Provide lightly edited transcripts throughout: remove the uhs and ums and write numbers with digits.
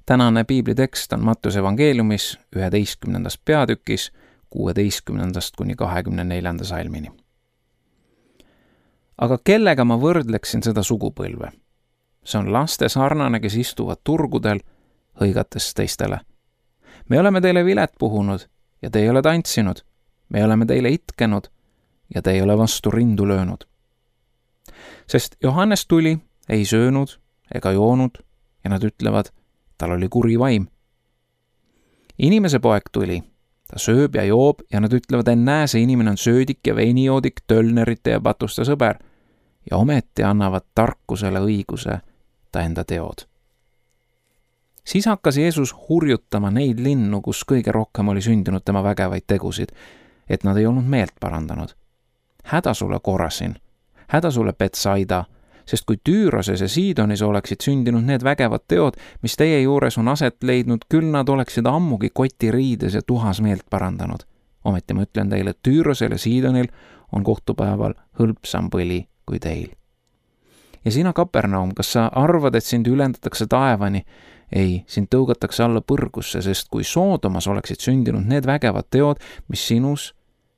Tänane piiblitekst on Mattuse evangeeliumis 11. peatükis 16. kuni 24. salmini. Aga kellega ma võrdleksin seda sugupõlve? See on laste sarnane, kes istuvad turgudel, hõigates teistele. Me oleme teile vilet puhunud ja te ei ole tantsinud. Me oleme teile itkenud ja te ei ole vastu rindu löönud. Sest Johannes tuli, ei söönud ega joonud ja nad ütlevad, tal oli kuri vaim. Inimese poeg tuli, ta sööb ja joob ja nad ütlevad, ennäe, see inimene on söödik ja veinijoodik, tölnerite ja patuste sõber ja ometi annavad tarkusele õiguse ta enda teod. Siis hakkas Jeesus hurjutama neid linnu, kus kõige rohkem oli sündinud tema vägevaid tegusid, et nad ei olnud meelt parandanud. Häda sulle Korasin, häda sulle Betsaida, sest kui Tüüroses ja Siidonis oleksid sündinud need vägevad teod, mis teie juures on aset leidnud, küll nad oleksid ammugi kotiriides ja tuhas meelt parandanud. Ometi ma ütlen teile, et Tüürosel ja Siidonil on kohtupäeval hõlpsam põli kui teil. Ja sina, Kapernaum, kas sa arvad, et sind ülendatakse taevani? Ei, sind tõugatakse alla põrgusse, sest kui Soodomas oleksid sündinud need vägevad teod, mis sinus,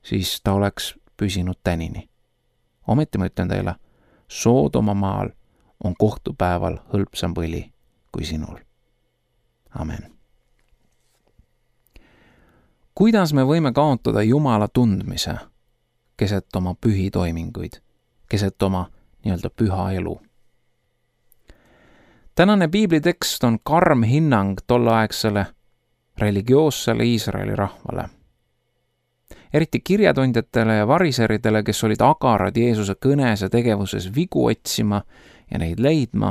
siis ta oleks püsinud tänini. Ometi ma ütlen teile, Soodoma maal on kohtupäeval hõlpsam põli kui sinul. Amen. Kuidas me võime kaotada Jumala tundmise keset oma pühi toiminguid, keset oma nii-öelda püha elu? Tänane piiblitekst on karm hinnang tolleaegsele religioossele Iisraeli rahvale. Eriti kirjatundjatele ja variseridele, kes olid agarad Jeesuse kõnes ja tegevuses vigu otsima ja neid leidma,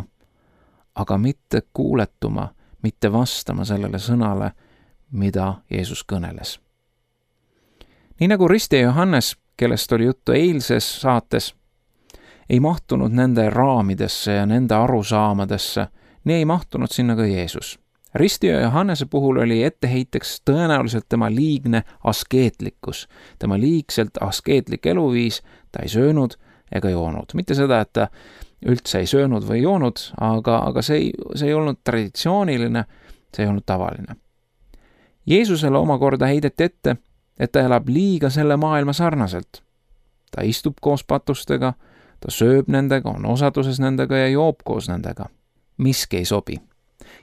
aga mitte kuuletuma, mitte vastama sellele sõnale, mida Jeesus kõneles. Nii nagu Risti ja Johannes, kellest oli juttu eilses saates, ei mahtunud nende raamidesse ja nende arusaamadesse, nii ei mahtunud sinna ka Jeesus. Risti ja Johannese puhul oli etteheiteks tõenäoliselt tema liigne askeetlikkus, tema liigselt askeetlik eluviis, ta ei söönud ega joonud. Mitte seda, et ta üldse ei söönud või joonud, aga see ei olnud traditsiooniline, see ei olnud tavaline. Jeesusele omakorda heideti ette, et ta elab liiga selle maailma sarnaselt. Ta istub koos patustega, ta sööb nendega, on osaduses nendega ja joob koos nendega. Miski ei sobi.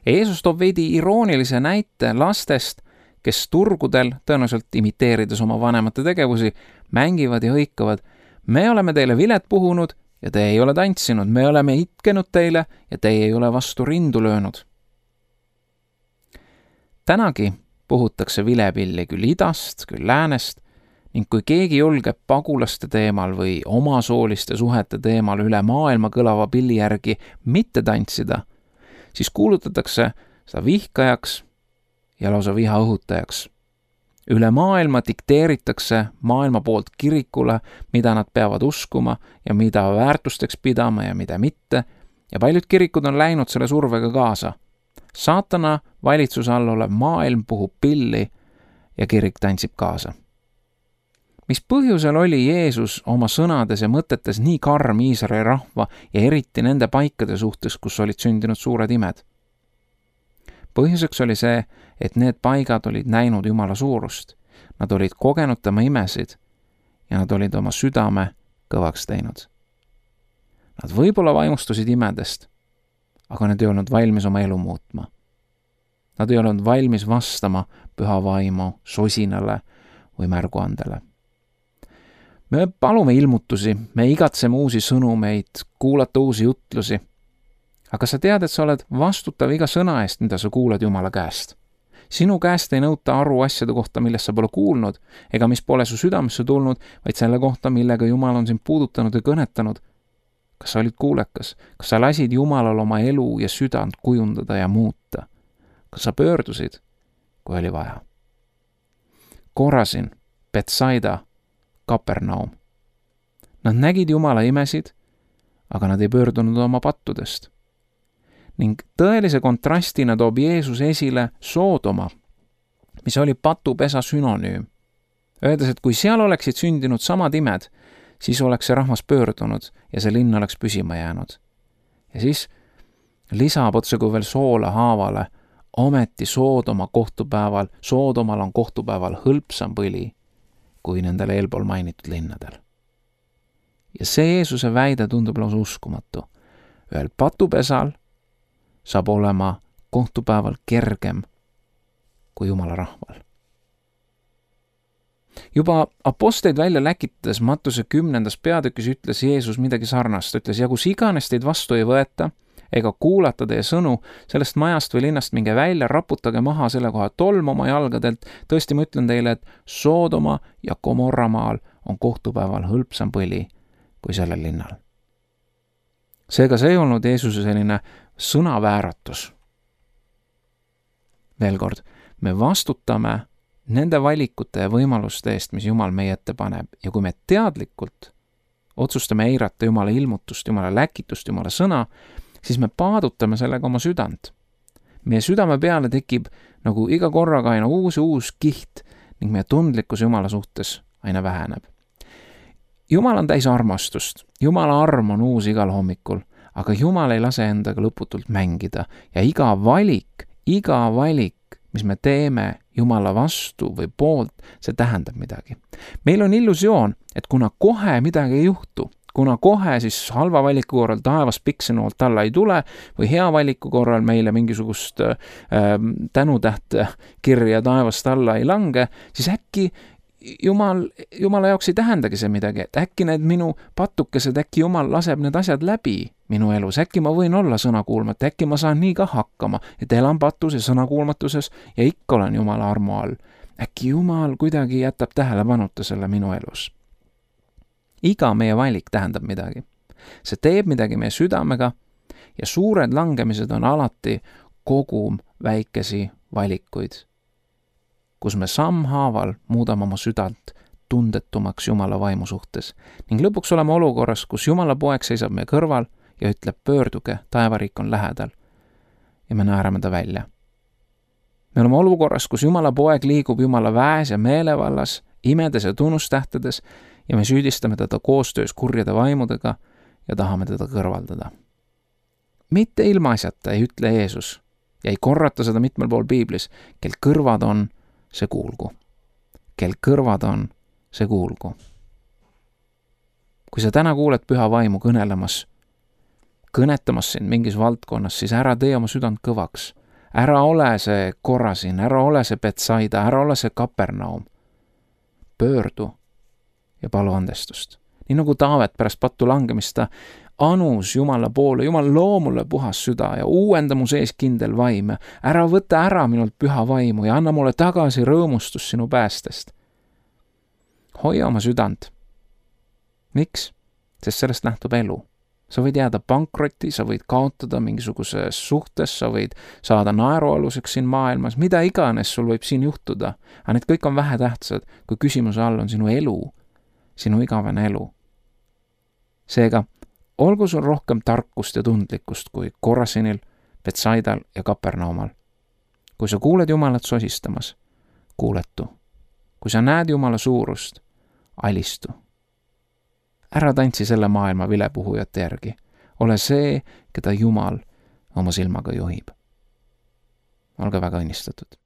Ja Jeesus toob veidi iroonilise näite lastest, kes turgudel, tõenäoliselt imiteerides oma vanemate tegevusi, mängivad ja hõikavad. Me oleme teile vilet puhunud ja te ei ole tantsinud. Me oleme itkenud teile ja te ei ole vastu rindu löönud. Tänagi puhutakse vilepilli küll idast, küll läänest, ning kui keegi julgeb pagulaste teemal või omasooliste suhete teemal üle maailma kõlava pilli järgi mitte tantsida, siis kuulutatakse seda vihkajaks ja lausa viha õhutajaks. Üle maailma dikteeritakse maailma poolt kirikule, mida nad peavad uskuma ja mida väärtusteks pidama ja mida mitte, ja paljud kirikud on läinud selle survega kaasa. Saatana valitsuse all olev maailm puhub pilli ja kirik tantsib kaasa. Mis põhjusel oli Jeesus oma sõnades ja mõtetes nii karm Iisraeli rahva ja eriti nende paikade suhtes, kus olid sündinud suured imed? Põhjuseks oli see, et need paigad olid näinud Jumala suurust. Nad olid kogenud tema imesid ja nad olid oma südame kõvaks teinud. Nad võib-olla vaimustusid imedest, aga nad ei olnud valmis oma elu muutma. Nad ei olnud valmis vastama püha vaimu sosinale või märguandele. Me palume ilmutusi, me igatseme uusi sõnumeid, kuulata uusi jutlusi. Aga sa tead, et sa oled vastutav iga sõna eest, mida sa kuulad Jumala käest. Sinu käest ei nõuta aru asjade kohta, millest sa pole kuulnud, ega mis pole su südamesse tulnud, vaid selle kohta, millega Jumal on sind puudutanud ja kõnetanud. Kas sa olid kuulekas? Kas sa lasid Jumalal oma elu ja südant kujundada ja muuta? Kas sa pöördusid, kui oli vaja? Korasin, Betsaida, Kapernaum. Nad nägid Jumala imesid, aga nad ei pöördunud oma pattudest. Ning tõelise kontrastina toob Jeesus esile Soodoma, mis oli patupesa sünonüüm. Öeldes, et kui seal oleksid sündinud samad imed, siis oleks see rahvas pöördunud ja see linn oleks püsima jäänud. Ja siis lisab otse kui veel soola haavale, ometi Soodomal on kohtupäeval hõlpsam põli kui nendel eelpool mainitud linnadel. Ja see Jeesuse väide tundub lausa uskumatu. Ühel patupesal saab olema kohtupäeval kergem kui Jumala rahval. Juba apostleid välja läkitades Mattuse 10. peatükis ütles Jeesus midagi sarnast. Ütles, ja kus iganes teid vastu ei võeta ega kuulata teie sõnu, sellest majast või linnast minge välja, raputage maha selle koha tolm oma jalgadelt. Tõesti, ma ütlen teile, et Soodoma ja Gomorra maal on kohtupäeval hõlpsam põli kui sellel linnal. Seega see ei olnud Jeesuse selline sõnavääratus. Veel kord, me vastutame nende valikute ja võimaluste eest, mis Jumal meie ette paneb, ja kui me teadlikult otsustame eirata Jumala ilmutust, Jumala läkitust, Jumala sõna, siis me paadutame sellega oma südant. Meie südame peale tekib nagu iga korraga aina uus kiht ning meie tundlikkus Jumala suhtes aina väheneb. Jumal on täis armastust, Jumala arm on uus igal hommikul, aga Jumal ei lase endaga lõputult mängida ja iga valik, mis me teeme Jumala vastu või poolt, see tähendab midagi. Meil on illusioon, et kuna kohe midagi ei juhtu, kuna kohe siis halva valiku korral taevas piksenolt alla ei tule või hea valiku korral meile mingisugust tänutähte kirja taevast alla ei lange, siis äkki Jumala jaoks ei tähendagi see midagi, et äkki need minu patukesed, äkki Jumal laseb need asjad läbi minu elus, äkki ma võin olla sõnakuulmatu, äkki ma saan nii ka hakkama, et elan patus ja sõnakuulmatuses ja ikka olen Jumala armu all. Äkki Jumal kuidagi jätab tähelepanuta selle minu elus. Iga meie valik tähendab midagi. See teeb midagi meie südamega ja suured langemised on alati kogum väikesi valikuid, kus me sammhaaval muudame oma südant tundetumaks Jumala vaimu suhtes ning lõpuks oleme olukorras, kus Jumala poeg seisab meie kõrval ja ütleb, pöörduge, taevariik on lähedal ja me naerame ta välja. Me oleme olukorras, kus Jumala poeg liigub Jumala väes ja meelevallas, imedes ja tunnustähtedes ja me süüdistame teda koostöös kurjade vaimudega ja tahame teda kõrvaldada. Mitte ilmaasjata ei ütle Jeesus ja ei korrata seda mitmel pool Piiblis, kel kõrvad on, see kuulgu. Kel kõrvad on, see kuulgu. Kui sa täna kuuled püha vaimu kõnetamas sind mingis valdkonnas, siis ära tee oma südant kõvaks. Ära ole see Korasin, ära ole see Betsaida, ära ole see Kapernaum. Pöördu ja palu andestust. Nii nagu Taavet pärast pattu langemist ta anus Jumala poole, Jumal loo mulle puhas süda ja uuenda mu sees kindel vaim. Ära võta ära minult püha vaimu ja anna mulle tagasi rõõmustus sinu päästest. Hoia oma südant. Miks? Sest sellest nähtub elu. Sa võid jääda pankrotti, sa võid kaotada mingisuguses suhtes, sa võid saada naerualuseks siin maailmas, mida iganes sul võib siin juhtuda. Aga need kõik on vähetähtsad, kui küsimuse all on sinu elu, sinu igavene elu. Seega, olgu sul rohkem tarkust ja tundlikkust kui Korasinil, Betsaidal ja Kapernaumal. Kui sa kuuled Jumalat sosistamas, kuuletu. Kui sa näed Jumala suurust, alistu. Ära tantsi selle maailma vilepuhujate järgi. Ole see, keda Jumal oma silmaga juhib. Olge väga õnnistatud.